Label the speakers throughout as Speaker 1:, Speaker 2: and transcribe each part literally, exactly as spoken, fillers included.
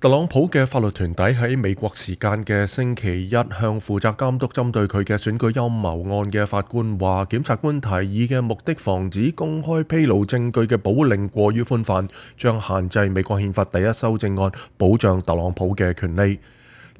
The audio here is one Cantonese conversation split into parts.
Speaker 1: 特朗普嘅法律團體喺美國時間嘅星期一向負責監督針對佢嘅選舉陰謀案嘅法官話，檢察官提議嘅目的防止公開披露證據嘅保護令過於寬泛，將限制美國憲法第一修正案保障特朗普嘅權利。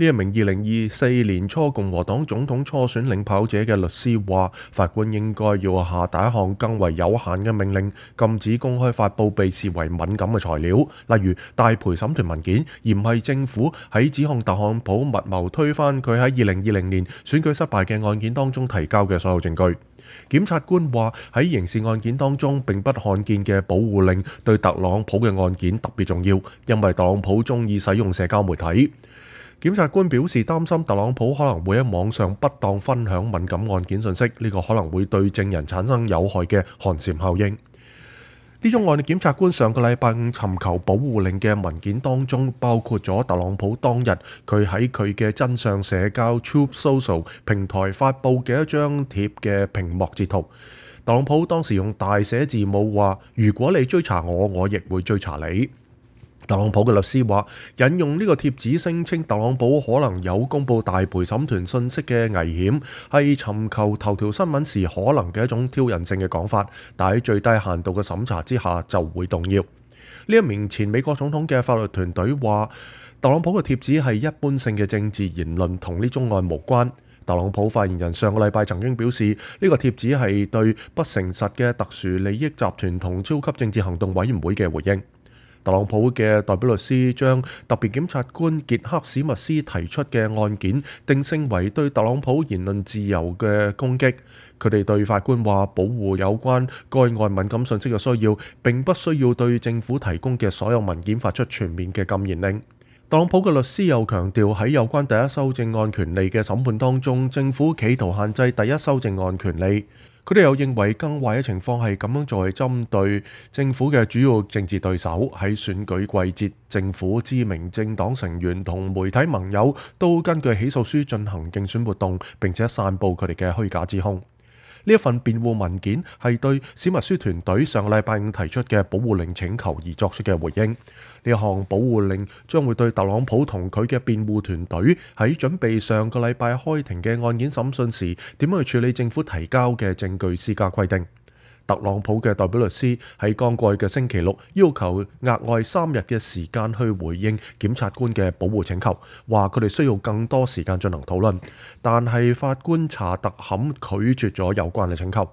Speaker 1: 呢一名二零二四年初共和黨總統初選領跑者嘅律師話，法官應該要下達一項更為有限嘅命令，禁止公開發布被視為敏感嘅材料，例如大陪審團文件，而唔係政府喺指控特朗普密謀推翻佢喺二零二零年選舉失敗嘅案件當中提交嘅所有證據。檢察官話，喺刑事案件當中並不罕見嘅保護令對特朗普嘅案件特別重要，因為特朗普中意使用社交媒體。檢察官表示擔心特朗普可能會喺網上不當分享敏感案件信息，呢個可能會對證人產生有害嘅寒蟬效應。呢宗案嘅檢察官上個禮拜五尋求保護令嘅文件當中，包括咗特朗普當日佢喺佢嘅真相社交 Truth Social 平台發布嘅一張貼嘅屏幕截圖。特朗普當時用大寫字母話：如果你追查我，我亦會追查你。特朗普嘅律師話，引用呢個貼紙聲稱特朗普可能有公佈大陪審團信息嘅危險，係尋求頭條新聞時可能嘅一種挑釁性嘅講法，但喺最低限度嘅審查之下就會動搖。呢一名前美國總統嘅法律團隊話，特朗普嘅貼紙係一般性嘅政治言論，同呢宗案無關。特朗普發言人上個禮拜曾經表示，呢個貼紙係對不誠實嘅特殊利益集團同超級政治行動委員會嘅回應。特朗普嘅代表律師將特別檢察官傑克史密斯提出嘅案件定性為對特朗普言論自由嘅攻擊。佢哋對法官話，保護有關該案敏感信息嘅需要，並不需要對政府提供嘅所有文件發出全面嘅禁言令。特朗普嘅律師又強調，喺有關第一修正案權利嘅審判當中，政府企圖限制第一修正案權利。佢哋又認為更壞嘅情況係咁樣做係針對政府嘅主要政治對手。喺選舉季節，政府知名政黨成員同媒體盟友都根據起訴書進行競選活動，並且散佈佢哋嘅虛假指控。呢一份辯護文件係對史密斯團隊上個禮拜五提出嘅保護令請求而作出嘅回應。呢一項保護令將會對特朗普同佢嘅辯護團隊喺準備上個禮拜開庭嘅案件審訊時，點樣去處理政府提交嘅證據施加規定。特朗普嘅代表律師喺剛過去嘅星期六要求額外三日嘅時間去回應檢察官嘅保護請求，話佢哋需要更多時間進行討論，但係法官查特坎拒絕咗有關嘅請求。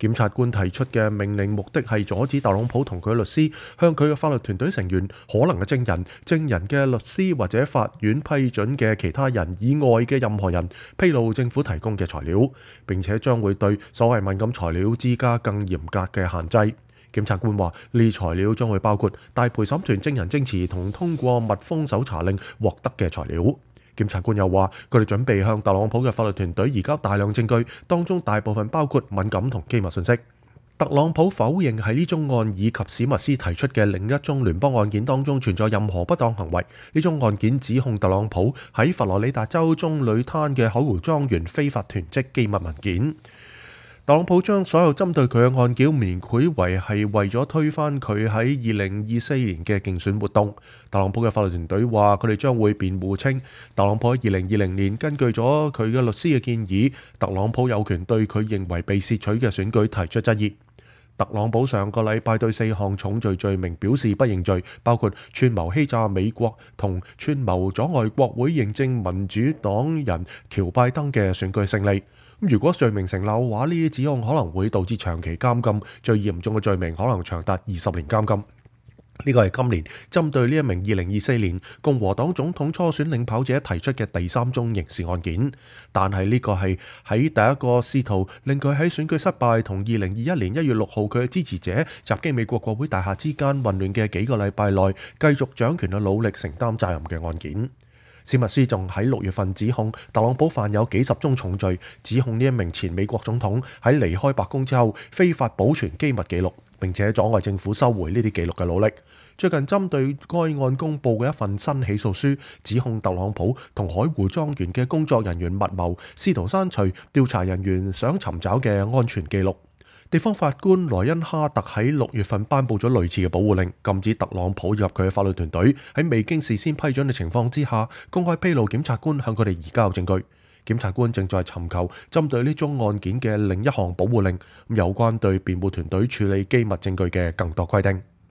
Speaker 1: 檢察官提出嘅命令目的係阻止特朗普同佢律師向佢嘅法律團隊成員、可能嘅證人、證人嘅律師或者法院批准嘅其他人以外嘅任何人披露政府提供嘅材料，並且將會對所謂敏感材料施加更嚴格嘅限制。檢察官話，呢啲材料將會包括大陪審團證人證詞同通過密封搜查令獲得嘅材料。檢察官又話，佢哋準備向特朗普嘅法律團隊移交大量證據，當中大部分包括敏感同機密信息。特朗普否認喺呢宗案以及史密斯提出嘅另一宗聯邦案件當中存在任何不當行為。呢宗案件指控特朗普喺佛羅里達州棕櫚灘嘅海湖莊園非法囤積機密文件。特朗普將所有針對佢嘅案件描繪為係為咗推翻佢喺二零二四年嘅競選活動。特朗普嘅法律團隊話，佢哋將會辯護稱，特朗普喺二零二零年根據咗佢嘅律師嘅建議，特朗普有權對佢認為被竊取嘅選舉提出質疑。特朗普上個禮拜對四項重罪罪名表示不認罪，包括串謀欺詐美國同串謀阻礙國會認證民主黨人喬拜登嘅選舉勝利。如果罪名成立嘅話，呢啲指控可能會導致長期監禁，最嚴重嘅罪名可能長達二十年監禁。呢個係今年針對呢一名二零二四年共和黨總統初選領跑者提出嘅第三宗刑事案件，但係呢個係喺第一個試圖令佢喺選舉失敗同二零二一年一月六號佢嘅支持者襲擊美國國會大廈之間混亂嘅幾個禮拜內繼續掌權嘅努力承擔責任嘅案件。史密斯仲喺六月份指控特朗普犯有幾十宗重罪，指控呢一名前美國總統喺離開白宮之後非法保存機密記錄，並且阻礙政府收回呢啲記錄嘅努力。最近針對該案公布嘅一份新起訴書，指控特朗普同海湖莊園嘅工作人員密謀，試圖刪除調查人員想尋找嘅安全記錄。地方法官萊恩哈特喺六月份頒布咗類似嘅保護令，禁止特朗普以及佢嘅法律團隊喺未經事先批准嘅情況之下，公開披露檢察官向佢哋移交證據。檢察官正在尋求針對呢宗案件嘅另一項保護令，有關對辯護團隊處理機密證據嘅更多規定。